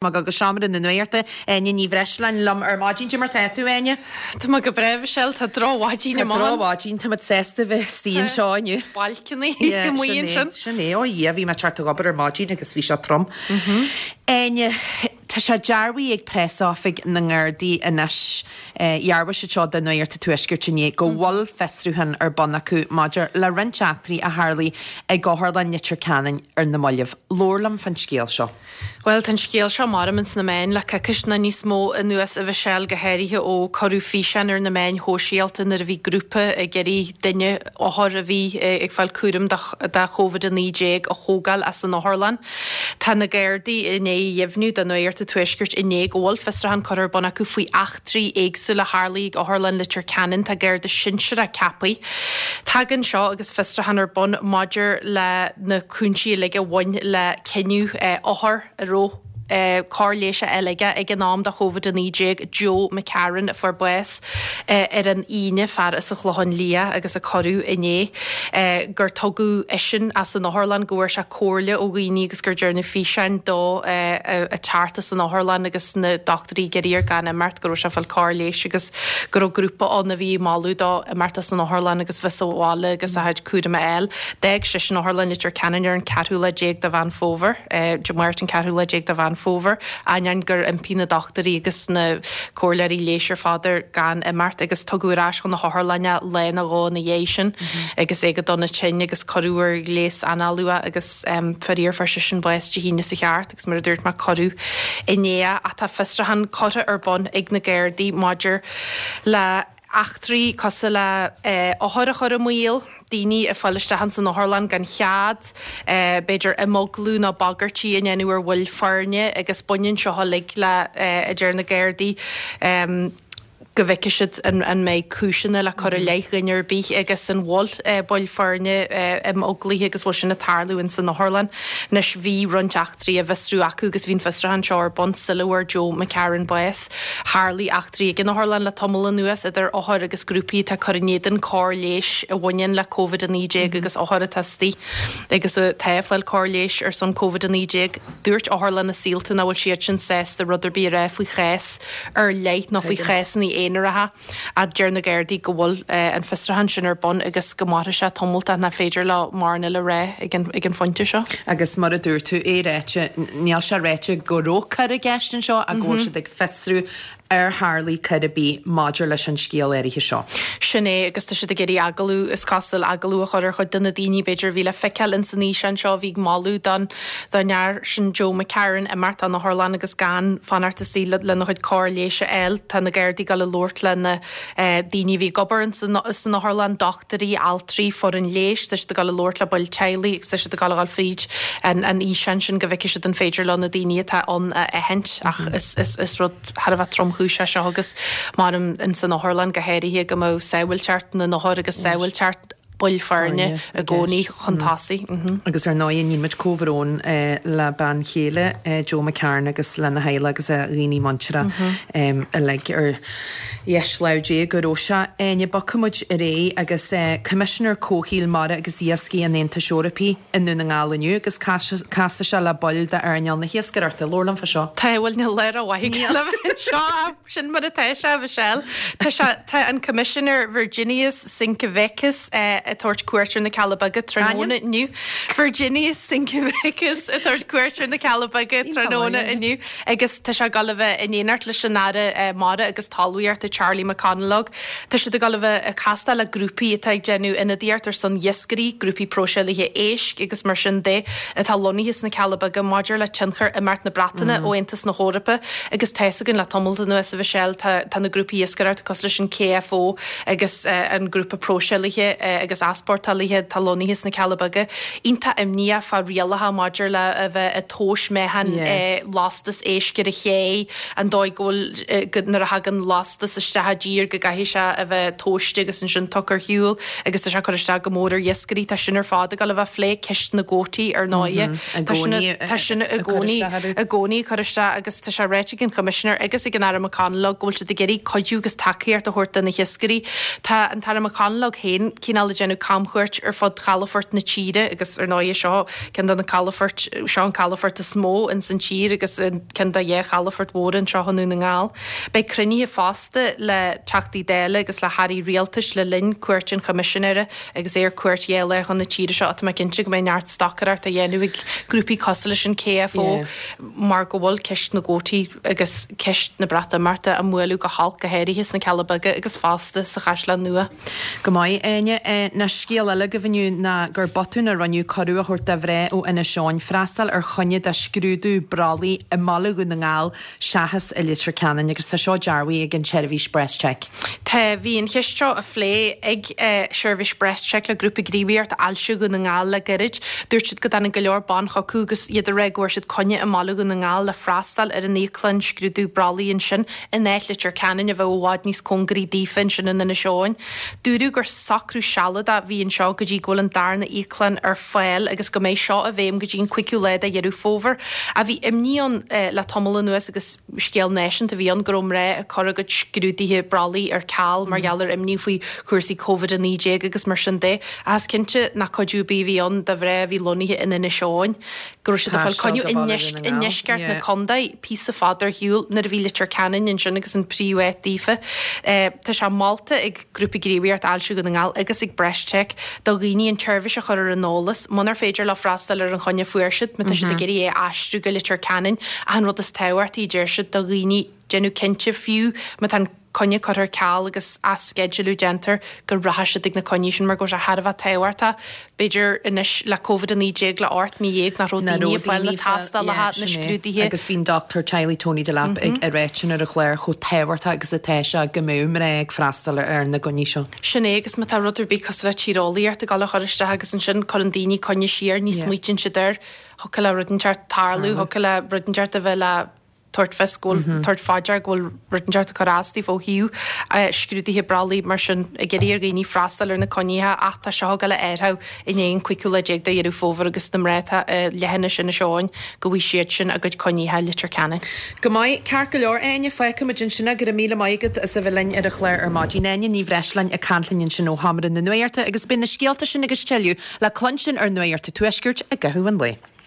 Ag dul go seomra na nuachta, Áine Ní Bhreisleáin liom ar maidin. Cad é mar tá tú, Áine? Tá mé go breá, Michelle. Tá drochmhaidin Tá amach ann. drochmhaidin. Tá muid sásta bheith istigh anseo inniu. Balcony amuigh ansin. Sin é. Ó a Dhia, bhí mé ag teacht ag obair ar maidin agus bhí sé trom. Áine, tá sé dearbhaithe ag preasoifig na nGardaí anois, dhearbhaigh siad seo do Nuacht an Tuaiscirt inné, go bhfuil fiosrúchán ar bun acu maidir le roinnt eachtraí a tharlaigh ag Otharlann Leitir Ceanainn ar na mallaibh. Labhair liom fán scéal seo. Bhuel, tá an scéal seo measaim ins na meáin le coicís nó níos mó anuas, a Mhichelle, go háirithe ó cuireadh físeán ar na meáin shóisialta nuair a bhí grúpa ag iarraidh duine, othar a bhí ag fáil cúram do Covid-19 a thógáil as an otharlann. Tá na Gardaí i ndiaidh a dheimhniú do Nuacht an Tuaiscirt inné go bhfuil fiosrúchán curtha ar bun acu faoi eachtraí éagsúla a tharlaigh ag Otharlann Leitir Ceanainn. Tá Garda sinsearach ceaptha. Tagann seo agus fiosrúchán ar bun maidir le na cúinsí uilig a bhain le cinneadh othar a raibh cóir leighis á fháil aige ag an am do Covid-19, Joe McCarron, a fuair bás ar an Aoine, fear as an Chlochán Liath agus a cuireadh inné, gur tugadh eisean as an otharlann, go bhfuair sé comhairle ó dhaoine agus gur dearnadh físeáin dó ag teacht as an otharlann agus na dochtúirí ag iarraidh air gan imeacht, go raibh sé ag fáil cóir leighis agus go raibh grúpa ann a bhí ag moladh dó imeacht as an otharlann agus bheith sa bhaile agus a chuid cúraim a fháil. D'fhág seisean Otharlann Leitir Ceanainn ar an ceathrú lá déag de Mheán Fómhair, Dé Máirt an ceathrú lá déag de Mheán Fómhair, ainneoin gur impigh na dochtúirí agus na comhairleoirí leighis ar fad air gan imeacht agus tugadh ar ais chun na hotharlainne é lá nó dhó ina dhiaidh sin agus é go dona tinn agus cuireadh ar ghléas análú é agus faraor fuair seisean bás Dé hAoine sa cheart agus mar a dúirt mé cuireadh inné é ach tá fiosrúchán curtha ar bun ag na Gardaí maidir le eachtraí cosúil le othair a chur i mbaol, daoine ag fáil isteach ins an otharlann gan chead, b'fhéidir imeaglú nó bagairtí a ndéanamh ar bhaill foirne agus baineann seo uilig le, a deir na Gardaí, go bhfeicfidh siad an mbeidh cúiseanna le cur i leith dhuine ar bith agus an bhfuil baill foirne imeaglaithe agus bhfuil sin ag tarlú ins an otharlann. Anois bhí roinnt eachtraí á bhfiosrú acu agus bhí an fiosrúchán seo ar bun sula bhfuair Joe McCarron bás. Tharlaigh eachtraí ag an otharlann le tamall anuas, idir othair agus grúpaí atá ag cur in éadan cóir leighis a bhaineann le Covid-19 agus othair atá istigh agus atá ag fáil cóir leighis ar son Covid-19. Dúirt Otharlann na Saolta nach bhfuil siadsan sásta rud ar bith a rá faoi chás ar leith nó faoi chásanna aonaracha. Ach deir na Gardaí go bhfuil an fiosrúchán sin ar bun agus go mairfidh sé tamall ach nach féidir leo mórán eile a rá ag an phointe seo. Agus mar a dúirt tú, é ráite, níl sé ráite go raibh coir i gceist anseo ach go bhfuil siad ag fiosrú ar tharlaigh coir ar bith maidir leis an scéal áirithe seo. Sin é, agus tá siad ag iarraidh agallamh, is cosúil, agallamh a chur ar chuid de na daoine b'fhéidir a bhí le feiceáil ins an fhíseán seo a bhí ag moladh don don fhear sin Joe McCarron imeacht ón otharlann agus gan fanacht istigh lena chuid cóir leighis a fháil. Tá na Gardaí ag dul a labhairt le na daoine a bhí ag obair san otharlann, dochtúirí, altraí, foireann leighis, tá siad ag dul a labhairt le baill teaghlaigh agus tá siad ag dul a dhul fríd an fhíseán sin go bhfeicfidh siad an féidir leo na daoine atá ann a aithint ach is rud thar a bheith tromchúiseach é seo agus measaim ins an otharlann go háirithe go mbeadh sábháilteacht na n-othar agus sábháilteacht baill foirne i gcónaí chun tosaigh. Agus ar ndóigh ní muid comhbhrón le bean chéile Joe McCarron agus lena theaghlach agus a dhaoine muinteartha uilig ar dheis lámh Dé go raibh sé. Áine, bogfaidh muid ar aghaidh agus Coimisinéir Comhshaoil Mara agus Iascaigh an Aontais Eorpaigh i nDún na nGall inniu agus casfaidh sé le baill d'earnáil na hiascaireachta. Labhair liom fá seo. Tá, bhuel níl lá rómhaith aige le bheith anseo. Sin mar atá sé, a Mhichelle. Tá sé, tá an Coimisinéir Virginijus Sinkevičius ag tabhairt cuairt ar na Cealla Beaga tráthnóna inniu. Virginijus Sinkevičius ag tabhairt cuairt ar na Cealla Beaga tráthnóna inniu agus tá sé ag dul a bheith in éineacht leis an Aire Mara agus Talmhaíochta Charlie McConalogue. Tá siad ag dul a bheith ag castáil le grúpaí atá ag déanamh ionadaíocht ar son iascairí, grúpaí próiseálaithe éisc agus mar sin de atá lonnaithe sna Cealla Beaga maidir le tionchar imeacht na Breataine ó Aontas na hEorpa agus tá fhios againn le tamall anuas, a Mhichelle, tá tá na grúpaí iascaireachta cosúil leis an KFO agus an grúpa próiseálaithe agus easpórtálaithe atá lonnaithe sna Cealla Beaga iontach imníoch fá rialacha maidir le a bheith ag tomhas meáchan lastas éisc ar an ché, an dóigh go bhfuil go nuair a thagann lastas isteach i dtír go gcaithfidh sé a bheith tomhaiste agus ansin tugtha ar shiúl agus tá sé ag cur isteach go mór ar iascairí. Tá sin ar fad ag dul a bheith á phlé, ceist na gcuótaí ar ndóighe. Tá sin tá sin i gcónaí i gcónaí ag cur isteach agus tá sé ráite ag an Choimisinéir agus ag an Aire McConalogue go bhfuil siad ag iarraidh cuidiú agus tacaíocht a thabhairt do na hiascairí. Tá an tAire McConalogue féin cineál ag déanamh. déanamh camchuairt ar fud chalafoirt na tíre agus ar ndóighe seo ceann de na calafoirt, seo an calafort is mó ins an tír agus ceann de dheich chalafort mhóra anseo i nDún na nGall. Beidh cruinnithe fosta le Teachtaí Dála agus le hAirí Rialtais le linn cuairt an Choimisinéara agus é ar cuairt dhéá lá chun na tíre seo. Tá mé cinnte go mbeidh neart stocaireacht á dhéanamh ag grúpaí cosúil leis an KFO mar go bhfuil ceist na gcuótaí agus ceist na Breatimeachta á mbualadh go holc, go háirithe sna Cealla Beaga agus fosta sa Chaisleán Nua. Go maith, Áine. Anois scéal eile agaibh inniu ná gur botún a rinneadh cuireadh a thabhairt do mhná ó Inis Eoghain freastal ar choinne do scrúdú brollaigh i mbaile Dhún na nGall seachas i Leitir Ceanainn agus tá seo dearbhaithe ag an tseirbhís BreastCheck. Tá, bhí an cheist seo á phlé ag seirbhís BreastCheck le Grúpa Gníomhaíochta Ailse Dhún na nGall le gairid. Dúirt siad go dtáinig go leor ban chucu agus iad ag rá go bhfuair siad coinne i mbaile Dhún na nGall le freastal ar an íoclann scrúdú brollaigh ansin in áit Leitir Ceanainn a bheadh i bhfad níos cóngaraí daofa ansin in Inis Eoghain. Dúradh gur socrú sealadach a bhí anseo go dtí go bhfuil an darna íoclann ar fáil agus go mbeidh seo i bhfeidhm go dtí an 5ú lá de Dheireadh Fómhair. Ach bhí imní ann le tamall anuas agus scéal náisiúnta a bhí ann go raibh mná ag cur a gcuid scrúduithe brollaigh ar ceal mar gheall ar imní faoi chúrsaí Covid-19 agus mar sin de. Ach is cinnte nach cuidiú ar bith a bhí ann do mhná a bhí lonnaithe in Inis Eoghain go raibh siad ag fáil coinne i ndeisceart na contae píosa fada ar shiúl nuair a bhí Leitir Ceanainn ansin agus an príomháit daofa. Tá sé molta ag Grúpa Gníomhaíochta Ailse Dhún na nGall agus ag BreastCheck do dhaoine an tseirbhís a chur ar an eolas munar féidir leo freastal ar an choinne a fuair siad, má tá siad ag iarraidh é a aistriú go Leitir Ceanainn. Ach an rud is tábhachtaí, a deir siad, do dhaoine déanamh cinnte, fiú má tá an coinne curtha ar ceal agus athsceidealú déantar, go rachaidh siad ag na coinní sin mar go bhfuil sé thar a bheith tábhachtach. B'fhéidir anois le Covid-19 le 18 mí nach raibh daoine ag fáil na tástálacha, na scrúduithe. Agus bhí an dochtúir teaghlaigh Tony Delap ag ráit sin ar an chlár chomh tábhachtach agus atá sé go mbeadh mná ag freastal ar na coinní seo. Sin é agus má tá rud ar bith cosúil le tíreolaíocht ag dul a chur isteach agus ansin cuireann daoine coinne siar, ní smaoitíonn siad air, thiocfadh le rud inteacht tarlú, thiocfadh le rud inteacht a bheith le tabhairt fios go bhfuil, tabhairt fá dear go bhfuil rud inteacht ag cur as daofa ó thaobh scrúduithe brollaigh mar sin, ag iarraidh ar dhaoine freastal ar na coinnithe ach tá seo ag dul a athrú i ndiaidh an 15ú lá de Dheireadh Fómhair agus na mná atá i leithinis Inis Eoghain go bhfaighidh siad sin a gcuid coinnithe i Leitir Ceanainn. Go maith, ceart go leor, Áine, fágfaimid ansin é. Go raibh míle maith agat as a bheith linn ar an chlár ar maidin. Áine Ní Bhreisleáin ag caint linn ansin ó Sheomra na Nuachta agus beidh na scéalta sin agus tuilleadh le cluinstin ar Nuacht an Tuaiscirt i gcaitheamh an lae.